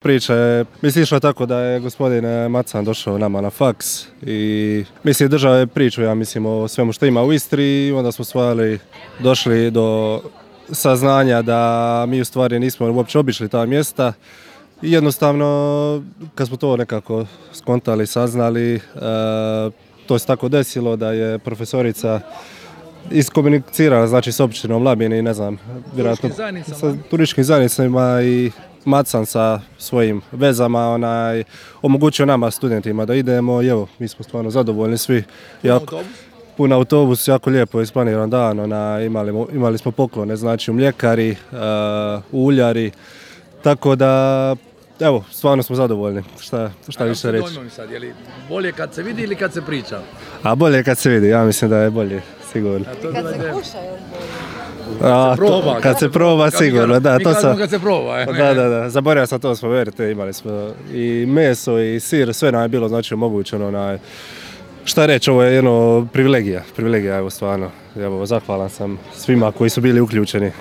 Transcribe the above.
Priča je, išla tako da je gospodin Macan došao nama na faks i držao je priču, ja mislim, o svemu što ima u Istri i onda smo došli do saznanja da mi u stvari nismo uopće obišli ta mjesta i jednostavno kad smo to nekako skontali, saznali, to se tako desilo da je profesorica iskomunicirala, znači, s općinom Labin i ne znam, vjerojatno sa turističkim zajednicama i Macan sa svojim vezama omogućio nama studentima da idemo i evo, mi smo stvarno zadovoljni svi. Pun autobus, jako lijepo isplaniran dan, imali smo poklone, znači u mljekari, uljari, tako da evo, stvarno smo zadovoljni, šta više reći. Sad, je li bolje kad se vidi ili kad se priča? A bolje kad se vidi, ja mislim da je bolje, sigurno. Kad se kuša je bolje. Kad se proba, sigurno, da. Mi kažemo kad se proba. Da, zaboravio sam to spomenuti, imali smo i meso i sir, sve nam je bilo, znači, omogućeno. Šta reći, ovo je jedno privilegija, evo, stvarno. Evo, zahvalan sam svima koji su bili uključeni.